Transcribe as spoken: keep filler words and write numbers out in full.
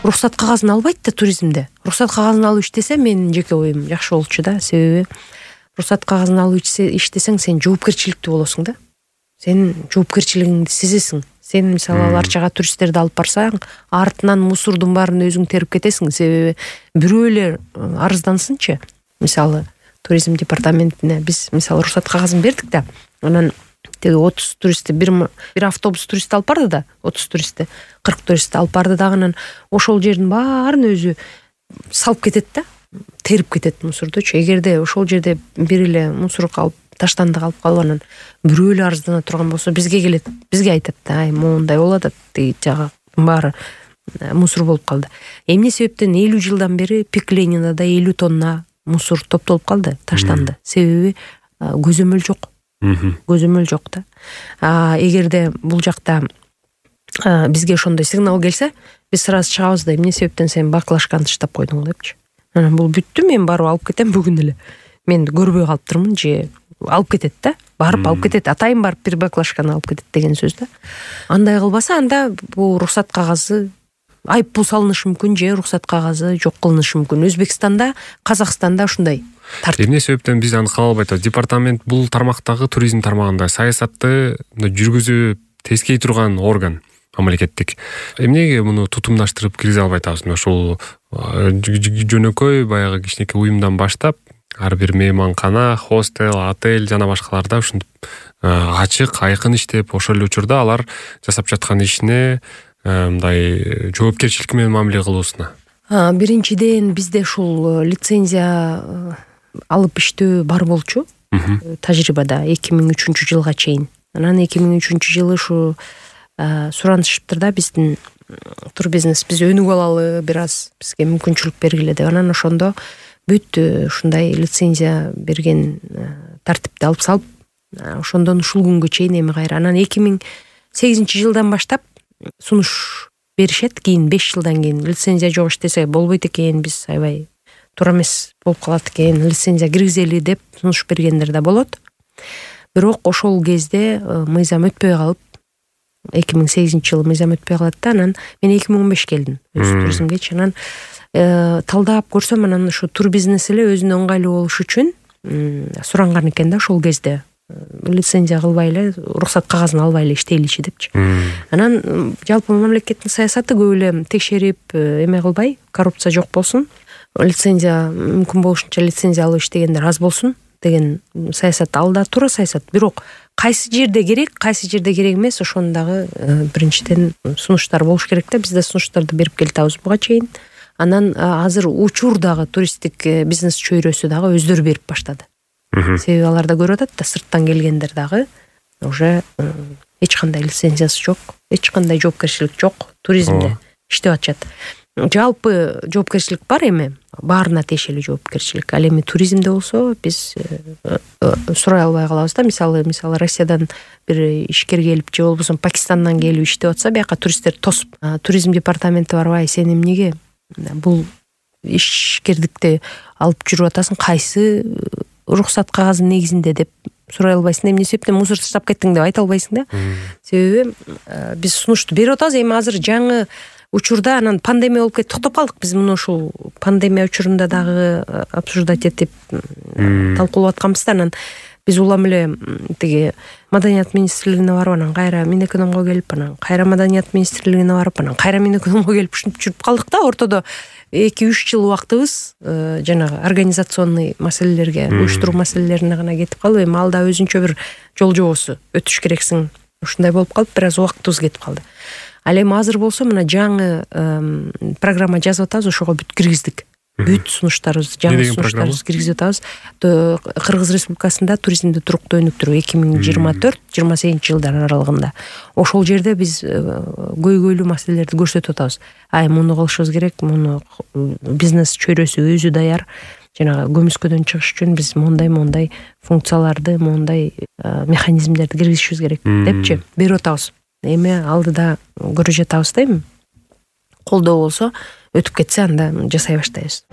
уруксат кагазын албайт да туризмде. Уруксат кагазын алып иштесе менин жеке оюм жакшы болчу да. Себеби уруксат кагазын алып иштесең сен жоопкерчиликтүү болосуң да. Сен жоопкерчилигиңди сезесиң. Сен мисалы ар жака туристтерди алып барсаң, артынан мусордун баарын өзүң терип кетесиң. Себеби бирөө эле арыздансынчы. Мисалы туризм департаментине биз мисалы уруксат кагазын бердик да. Анан теги отуз туристти бир бир автобус турист алып барды да, отуз туристти, кырк туристти алып барды дагы, анан ошол жердин баарын өзү салып кетет да, терип кетет мусордучу. Эгерде ошол жерде бир эле мусор калып, таштанды калып калып анан бирөө эле арыздана турган болсо бизге келет, бизге айтат да, ай моундай болуп атат, тиги жагы баары мусор болуп калды. Эмне себептен элүү жылдан бери Пик-Ленинада элүү тонна мусор топтолуп калды, таштанды. Себеби көзөмөл жок. Көзөмөл жок да. А эгерде бул жакта бизге ошондой сигнал келсе, биз сразу чыгабыз да, эмне себептен сен баклажканы таштап койдуң депчи. Анан бул бүттү, мен барып алып кетем бүгүн эле. Мен көрбөй калыптырмын, же алып кетет да. Барып алып кетет. Атайын барып бир баклажканы алып кетет деген сөз да. Андай кылбаса, анда бул уруксат кагазы айып бул салынышы мүмкүн, же уруксат кагазы жок кылынышы мүмкүн. Өзбекстанда, Казакстанда ушундай тартып. Эмне себептен биз аны кабыл албайт? Департамент бул тармактагы туризм тармагында саясатты жүргүзүп тескей турган орган мамлекеттик. Эмнеге муну тутумдаштырып киргизе албай атабыз? Ошол жөнөкөй баягы кичинекей уюмдан баштап ар бир мейманкана, хостел, отель жана башкаларда ушинтип ачык, айкын иштеп, ошол эле учурда алар жасап жаткан ишине мындай жоопкерчилик менен мамиле кылуусуна. Биринчиден бизде ушул лицензия алып иштөө бар болчу. Тажрыйбада эки миң үчүнчү жылга чейин. Анан эки миң үчүнчү жылы ушу суранышыптыр да, биздин турбизнес биз өнүгүп алалы, бир аз бизге мүмкүнчүлүк бергиле деп. Анан ошондо бүт ушундай лицензия берген тартипти алып салып, ошондон ушул күнгө чейин эми кайра. Анан эки миң сегизинчи жылдан баштап сунуш беришет. Кийин беш жылдан кийин лицензия жок иштесе болбойт экен, биз аябай туура эмес болуп калат экен, лицензия киргизели деп сунуш бергендер да болот. Бирок ошол кезде мыйзам өтпөй калып, эки миң сегизинчи жылы мыйзам өтпөй калат да, анан мен эки миң он беш келдим өз туризмгечи. Анан талдап көрсөм, анан ушу турбизнес эле өзүнө ыңгайлуу болуш үчүн суранган экен да ошол кезде. Лицензия кылбай эле, уруксат кагазын албай эле иштейличи депчи. Анан жалпы мамлекеттин саясаты көп эле текшерип, эме кылбай, коррупция жок болсун, лицензия мүмкүн болушунча лицензия алып иштегендер аз болсун деген саясат. Ал да туура саясат. Бирок кайсы жерде керек, кайсы жерде керек эмес, ошону дагы биринчиден сунуштар болуш керек да. Биз да сунуштарды берип келатабыз буга чейин. Анан азыр учур дагы туристтик бизнес чөйрөсү дагы өздөрү берип баштады. Себеби алар да көрүп атат да, сырттан келгендер дагы уже эч кандай лицензиясы жок, эч кандай жоопкерчилик жок, туризмде иштеп атышат. Жалпы жоопкерчилик бар эми, баарына тиешелүү жоопкерчилик. Ал эми туризмде болсо биз сурай албай калабыз да. Мисалы, мисалы Россиядан бир ишкер келип, же болбосо Пакистандан келип иштеп атса, бияка туристтер тосуп, туризм департаменти барбай, сен эмнеге бул ишкердикти алып жүрүп атасың, кайсы уруксат кагазынын негизинде деп сурай албайсың. Эмне себептен мусор таштап кеттиң деп айта албайсың да. Себеби биз сунушту берип атабыз. Эми азыр жаңы учурда анан пандемия болуп кетип токтоп калдык. Биз муну ушул пандемия учурунда дагы обсуждать этип талкуулап атканбыз да. Анан биз улам эле тиги маданият министрлигине барып, анан кайра Минэкономго келип, анан кайра маданият министрлигине барып, анан кайра Минэкономго келип ушинтип жүрүп калдык да. Ортодо эки үч жыл убактыбыз жанагы организационный маселелерге, уюштуруу маселелерине гана кетип калып, эми ал да өзүнчө бир жол жобосу өтүш керексиң. Ушундай болуп калып, бир аз убактыбыз кетип калды. Ал эми азыр болсо мына жаңы программа жазып атабыз, ошого бүт киргиздик. Бүт сунуштарыбыз, жаңы сунуштарыбызды киргизип атабыз. Кыргыз Республикасында туризмди туруктуу өнүктүрүү эки миң жыйырма төрт жыйырма сегизинчи жылдар аралыгында. Ошол жерде биз көйгөйлүү маселелерди көрсөтүп атабыз. Ай, муну кылышыбыз керек, муну бизнес чөйрөсү өзү даяр. Жанагы көмүскөдөн чыгыш үчүн биз мондай мондай функцияларды, мондай механизмдерди киргизишибиз керек депчи берип атабыз. Эми алдыда көрүп жатабыз да, эми колдоо болсо өтүп кетсе анда жасай баштайбыз.